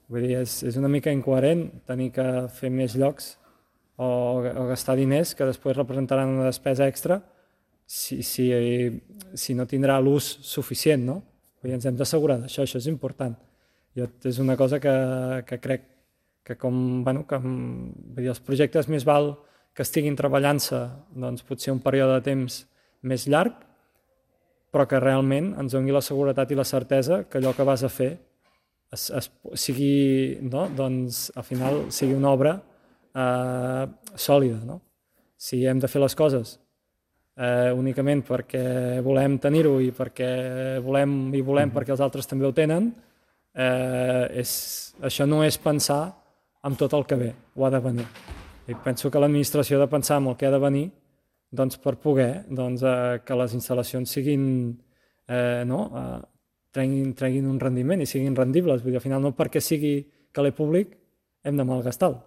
Vull dir, és una mica incoherent tenir que fer més llocs o gastar diners que després representaran una despesa extra si no tindrà l'ús suficient, no? Vull dir, ens hem d'assegurar d'això, això és important. És una cosa que crec que vull dir, els projectes més val que estiguin treballant-se doncs, potser un període de temps més llarg, però que realment ens doni la seguretat i la certesa que allò que vas a fer sigui, no? Doncs, al final sigui una obra sòlida. No? Si hem de fer les coses únicament perquè volem tenir-ho i perquè volem perquè els altres també ho tenen, això no és pensar en tot el que ve, o ha de venir. I penso que l'administració ha de pensar en el que ha de venir doncs, per poder que les instal·lacions siguin treguin un rendiment i siguin rendibles. Vull dir, al final no perquè sigui caler públic hem de malgastar-lo.